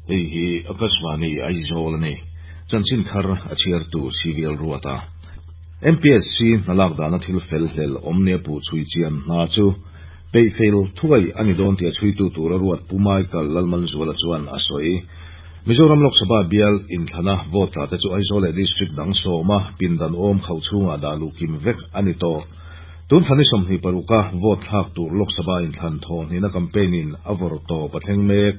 Hei hi Akashvani Aizawl a ni. Chanchin thar a chhiartu CVL Ruata. MPSC hna lak dana thil fel hlel awm nia puh chhui chian hna chu peih fel thuai a ni dawn tia chhuitu tura ruat Pu Michael Lalmanzuala chuan a sawi. Mizoram Lok Sabha bial inthlana vote tla te chu Aizawl leh District dang sawma pindan awm khauh chhungah dah luh kim vek a ni tawh. Tun thla ni 26 a vote thlak tur Lok Sabha inthlan thawhnihna campaign in a vawr tawp a thleng mek.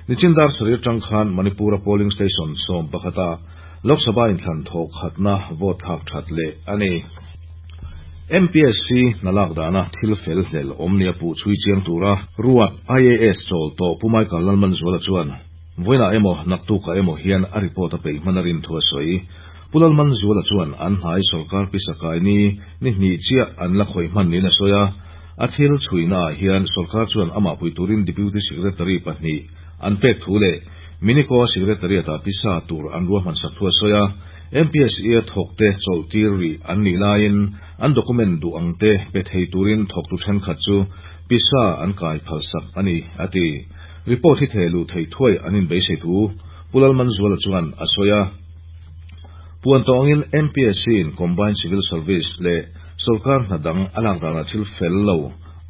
Nichin dar sarih atang khan Manipur a polling station 11 ah Lok Sabha inthlan thawh khatna vote thlak that leh a ni. MPSC hna lak dana thil fel hlel awm nia puh chhui chiang tura ruat IAS chawl tawh Pu Michael Lalmanzuala chuan vawiinah emaw naktukah emaw hian a report a peih hman a rin thu a sawi. Pu Lalmanzuala chuan an hnai sorkar pisa kai ni ni hnih chiah an la khawih hman niin a sawi a. A thil chhuinaah hian sorkar chuan amah pui turin Deputy Secretary pahnih an pek thu leh Minico Secretariat ah pisa tur an ruahman sak thu a sawi a. MPSE a thawkte chawlh tir rih an nih laiin an document duh ang te pe thei turin thawktu thenkhat chu pisa an kai phal sak a ni, a ti. Report hi theh luh theih thuai an inbeisei thu Pu Lalmanzuala chuan a sawi a. Puan tawngin MPSC in Combined Civil Service leh sorkar hna dang a lak danah thil fel lo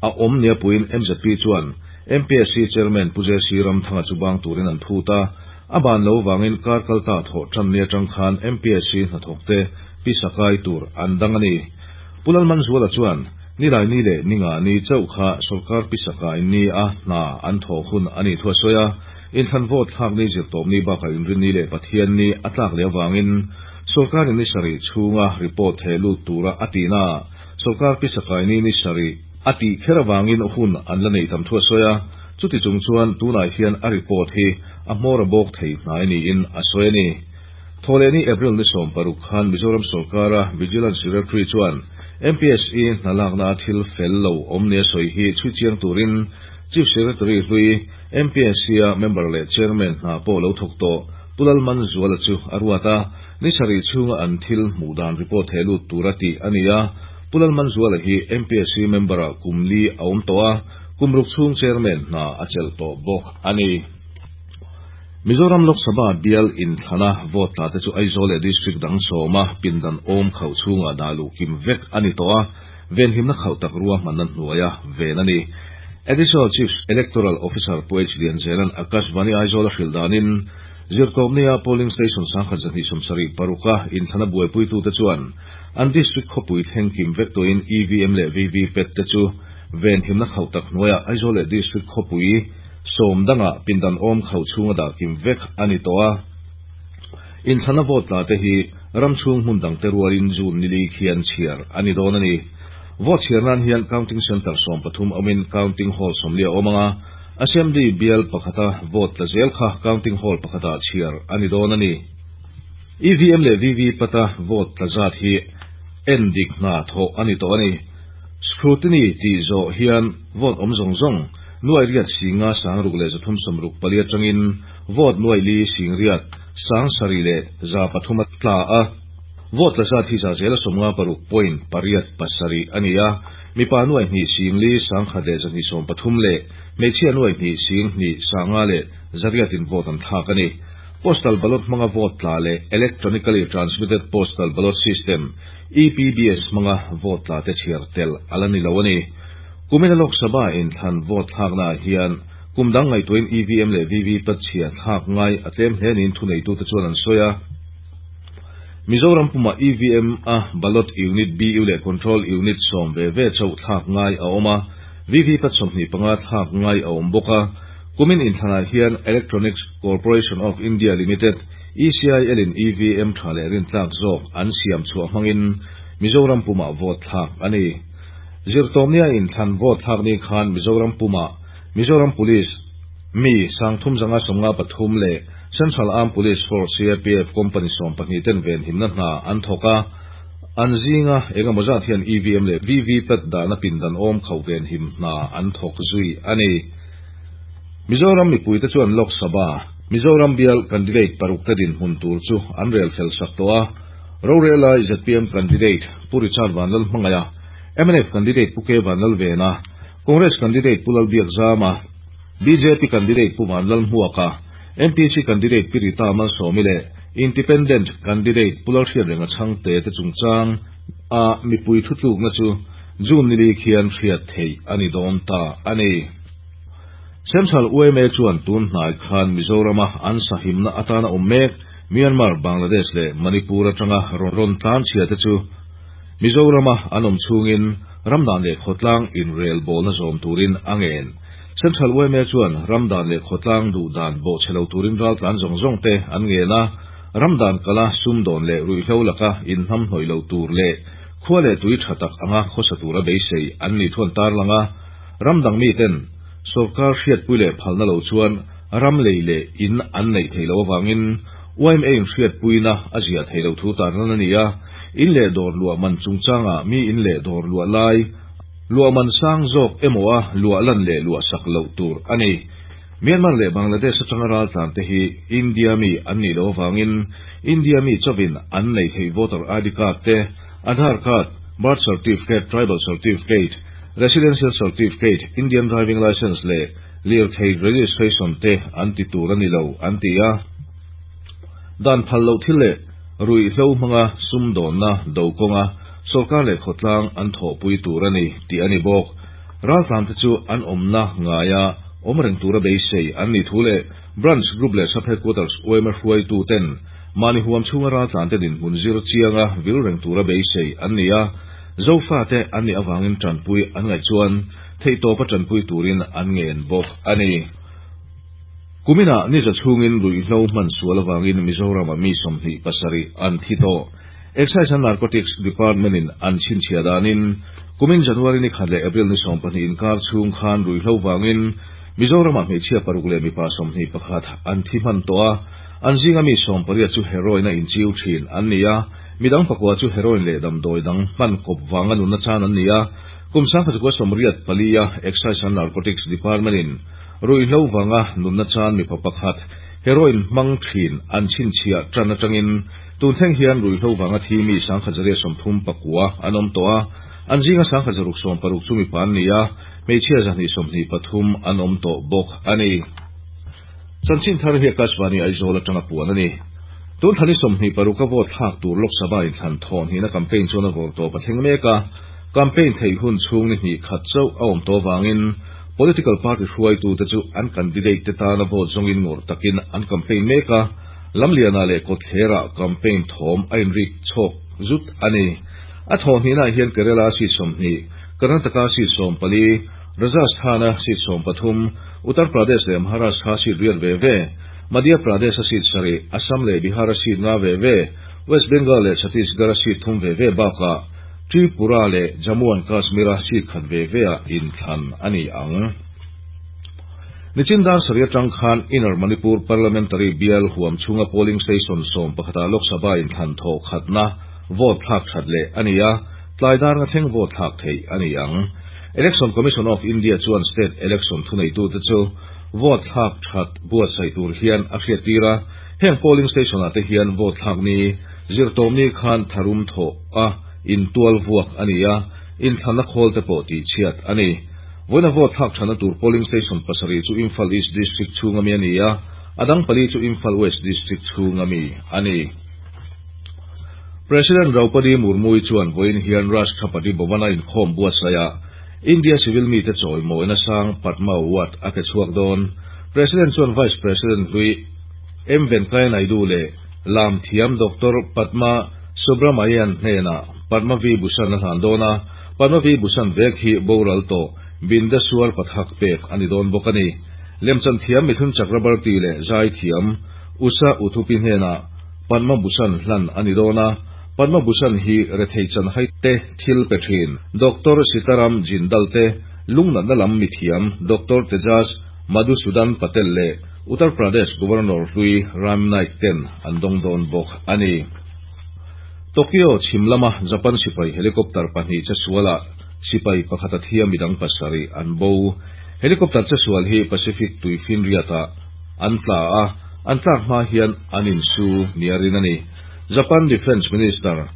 a awm nia puiin MZP chuan MPSC Chairman Pu JC Ramthanga chu bang turin an phut a. A ban lo vangin kar kalta thawh tan ni atang khan MPSC hnathawkte pisa kai tur an dang a ni. Pu Lalmanzuala chuan Nilai ni leh ninga ni chauh kha sorkar pisa kai ni a hna an thawh hun a nih thu a sawi a. Inthlan vote thlak ni zirtawp ni bakah inrin ni leh Pathian ni a tlak leh avangin sorkarin ni sarih chhunga report theh lut tura a tihna ah sorkar pisa kai ni ni sarih a tih kher avangin hun an la neih tam thu a sawi a. Chuti chung chuan tunah hian a report hi a hmawr a bawk thei hnai niin a sawi a ni. Thawhlehni April ni 16 khan Mizoram sorkara Vigilance Secretary chuan MPSE hna lakna a thil fel lo awm nia sawi hi chhui chiang turin Chief Secretary hlui MPSC-a member leh Chairman hna pawh lo thawk tawh Pu Lalmanzuala chu a ruat a, ni sarih chhunga an thil hmuh dan report theh lut tura tih a ni a. Pu Lalmanzuala hi MPSC member-ah kum li a awm tawh a, kum ruk chhung Chairman hna a chelh tawh bawk a ni. Mizoram Lok Sabha bial inthlana vote tla te chu Aizawl leh District dang sawma pindan awm khauh chhungah dah luh kim vek a ni tawh a, venhimna khauh tak ruahmanna hnuaia ven a ni. Additional Chief Electoral Officer Pu H Lianzela'n Akashvani Aizawl a hrilh danin, Zirtawpnia Polling Station 1276 a inthlana buaipuitute chuan an District khawpui thleng kim vek tawhin EVM leh VVPAT te chu venhimna khauh tak hnuaiah Aizawl leh District khawpui sawm dangah pindan awm khauh chhunga dah kim vek a ni tawh a. Inthlana vote tla te hi ram chhung hmun dang te rualin June ni li khian chhiar a ni dawn a ni. Vote chhiar nan hian Counting Centre 13 awmin Counting Hall 40 a awm ang a, Assembly bial pakhata vote tla zel kha Counting Hall pakhatah chhiar a ni dawn a ni. EVM leh VVPAT a vote tla zat hi en dik hna thawh a ni tawh a ni. Scrutiny tih zawh hian vote awm zawng zawng nuai riat singa sangruk leh 364 atangin vote nuai li sing riat sang sarih leh 300 a tla a. Vote tla zat hi za zela 56.87 a ni a. Mipa nuai hnih sing li sang khat leh 230 leh hmeichhia nuai hnih sing hnih sanga leh zariatin vote an thlak a ni. Postal ballot hmanga vote tla leh Electronically Transmitted Postal Ballot System, EPBS, hmanga vote tla te chhiar tel a la ni lo a ni. Kumina Lok Sabha inthlan vote thlaknaah hian kum dang ngaihtuahin EVM leh VVPAT chhia thlak ngai a tlem hle niin thuneitute chuan an sawi a. Mizoram pumah EVM a ballot unit BU leh control unit sawm ve ve chauh thlak ngai a awm a, VVPAT 25 thlak ngai a awm bawk a. Kumin inthlanah hian Electronics Corporation of India Limited, ECIL, in EVM tha leh rintlak zawk an siam chhuah hmangin Mizoram pumah vote thlak a ni. Zirtawmnia inthlan vote thlak ni khan Mizoram pumah Mizoram Police mi 353 leh Central Armed Police Force, CAPF, Company 12 ten venhimna hna an thawk a, an zinga engemaw zat hian EVM leh VVPAT dahna pindan awm khauh venhim hna an thawk zui a ni. Mizoram mipuite chuan Lok Sabha, Mizoram bial candidate paruk te dinhmun tur chu an rel fel sak tawh a. Rorelai ZPM candidate Pu Richard Vanlalhmangaia, mnf candidate Pu K Vanlalvena, Congress candidate Pu Lalbiakzama, BJP candidate Pu Vanlalhmuaka, MPSC candidate Pi Rita Malsawmi leh Independent candidate Pu Lalhriatrenga Chhangte te chungchang a mipui thutlukna chu June nili khian hriat theih a ni dawn ta a ni. Central yma chuan tun hnai khan Mizorama an sahimna atana awm mek Myanmar, Bangladesh leh Manipur atanga rawn tlanchhia te chu Mizorama an awm chhungin ramdan leh khawtlang inrelbawlna zawm turin a ngen. Central yma chuan ramdan leh khawtlang duhdan bawhchhe lo turin raltlan zawng zawng te an ngen a, ramdan kala sumdawn leh ruihhlo laka inhnamhnawih lo tur leh khua leh tui tha tak anga khawsa tura beisei an ni thuan tarlang a, ramdang miten sawrkar hriatpui leh phalna lo chuan ram lei leh in an neih theih loh avangin yma in hriatpuina a ziah theih loh thu tarlan a ni a, in leh dawr luah man chungchangah mi in leh dawr luah lai luah man sang zawk emaw a luah lan leh luah sak loh tur a ni. Myanmar leh Bangladesh atanga raltlan te hi India mi an nih loh avangin India mi chauhin an neih theih voter ID card te, Aadhaar card, birth certificate, tribal certificate, residential certificate, Indian driving licence leh lirthei registration te an ti tur a ni lo an ti a. Dan phal loh thil leh ruihhlo hmanga sumdawnna do kawnga sawrkar leh khawtlang an thawhpui tur a ni tih a ni bawk. Raltlan te chu an awmna ngaia awm reng tura beisei an nih thu leh Branch Group leh Sub Headquarters yma hruaitu ten mahni huam chhunga raltlan te dinhmun zir chianga vil reng tura beisei an ni a, Zofa te an nih avangin tanpui an ngaih chuan theihtawpa tanpui turin an ngen bawk a ni. Kuminah ni za chhungin ruihhlo hman sual avangin Mizoram-ah mi 27 an thi tawh. Excise and Narcotics Department-in an chhinchhiah danin kumin January ni khat leh April ni 12 inkar chhung khan ruihhlo vangin Mizoram-ah hmeichhia paruk leh mipa 21 an thi hman tawh a, an zinga mi 18 chu heroin a inchiu thin an ni a, midang pakua chu heroin leh damdawi dang hman kawp vanga nunna chan an ni a. Kum 1984-a Excise and Narcotics Department-in Ruihhlo vanga nunna chan mipa pakhat heroin hmang thin an chhinchhiah tan atangin tun thleng hian ruihhlo vanga thi mi 1139 an awm tawh a, an zinga 1660 chu mipa an ni a, hmeichhia 123 an awm tawh bawk a ni. Chanchin thar hi Akashvani Aizawl atanga puan a ni. Tun thla ni 26 a vote thlak tur Lok Sabha inthlan thawn hnihna campaign chuan a vawr tawp a thleng mek a, campaign theih hun chhung ni hnih khat chauh a awm tawh avangin political party hruaitute chu an candidate te tana vote zawngin ngawrh takin an campaign mek a, Lamlianah leh Kawtthlerah campaign thawm a inrik chhawk zut a ni. A thawh hnihnaah hian Kerala seat 20, Karnataka seat 14, Rajasthan-a seat 13, Uttar Pradesh leh Maharashtra seat riat ve ve, Madhya Pradesh-a seat sarih, Assam leh Bihar-a seat nga ve ve, West Bengal leh Chhattisgarh-a seat thum ve ve bakah Tripura leh Jammu and Kashmir-a seat khat ve ve-ah inthlan a ni ang. Nichin dar sarih atang khan Inner Manipur Parliamentary bial huam chhunga polling station 11-ah Lok Sabha inthlan thawh khatna vote thlak that leh a ni a, tlai dar nga thleng vote thlak theih a ni ang. Election Commission of India chuan state election thuneitute chu vote thlak that buatsaih tur hian a hriattir a, heng polling station-ah te hian vote thlak ni zirtawmni khan tharum thawh a intual vuak a ni a, inthlanna khawl te pawh tihchhiat a ni. Vawiina vote thlak thana tur polling station pasarih chu Imphal East District chhunga mi a ni a, a dang pali chu Imphal West District chhunga mi a ni. President Draupadi Murmu-i chuan vawiin hian Rashtrapati Bhavan-a inkhawm buatsaihah India civil mite chawimawina sang Padma Award a pe chhuak dawn. President chuan Vice President hlui M Venkaiah Naidu leh lam thiam Doctor Padma Subrahmayan hnenah Padma Vibhushan a hlan dawn a, Padma Vibhushan vek hi boral tawh Bindeshwar Pathak pek a ni dawn bawk a ni. Lemchan thiam Mithun Chakrabarti leh zai thiam Usha Uthupi hnenah Padma Bhushan hlan a ni dawn a, Padma Bhushan hi rethei chanhai te thil pe thin Doctor Sitaram Jindal te, lungnatna lam mithiam Doctor Tejas Madhusudan Patel leh Uttar Pradesh Governor hlui Ram Naik ten an dawng dawn bawk a ni. Tokyo chhim lama Japan sipai helicopter pahnih che sualah sipai pakhat a thi a midang pasarih an bo. Helicopter che sual hi Pacific tuifinriatah an tla a, an tlak hma hian an insu nia rin a ni. Japan Defence Minister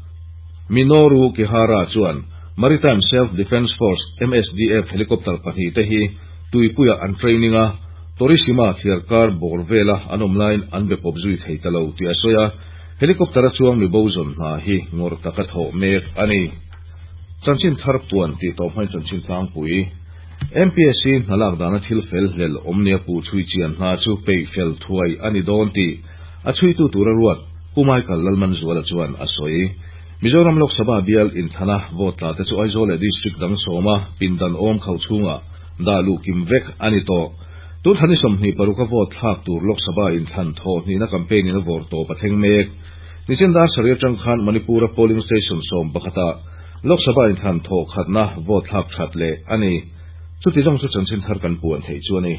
Minoru Kihara chuan Maritime Self Defence Force, MSDF, helicopter pahnih te hi tuipuiah an training a, Torishima thliarkar bawr vela an awm laiin an be pawp zui thei ta lo tih a sawi a, helicopter-a chuang mi bo zawn hna hi ngawrh taka thawh mek a ni. Chanchin thar puan tih tawh hmain chanchin tlangpui. MPSC hna lak dana thil fel hlel awm nia puh chhui chian hna chu peih fel thuai a ni dawn tih a chhuitu tura ruat Pu Michael Lalmanzuala chuan a sawi. Mizoram Lok Sabha bial inthlana vote tla te chu Aizawl leh District dang sawma pindan awm khauh chhungah dah luh kim vek a ni tawh. Tun thla ni 26 a vote thlak tur Lok Sabha inthlan thawh hnihna campaign in a vawr tawp a thleng mek. Nichin dar sarih atang khan Manipur a polling station 11 ah Lok Sabha inthlan thawh khatna vote thlak that leh a ni. Chuti zawng chu chanchin thar kan puan theih chu a ni.